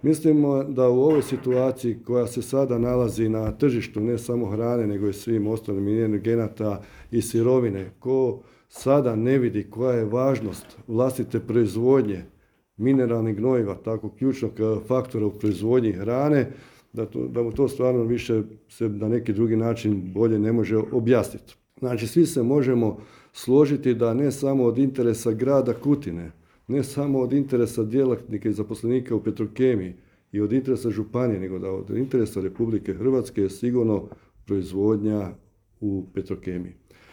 Mislimo da u ovoj situaciji koja se sada nalazi na tržištu ne samo hrane nego i svim ostalim energenata i sirovine, ko sada ne vidi koja je važnost vlastite proizvodnje mineralnih gnojiva, tako ključnog faktora u proizvodnji hrane, da mu to stvarno više se na neki drugi način bolje ne može objasniti. Znači, svi se možemo složiti da ne samo od interesa grada Kutine, ne samo od interesa djelatnika i zaposlenika u Petrokemiji i od interesa županije, nego da od interesa Republike Hrvatske je sigurno proizvodnja u Petrokemiji.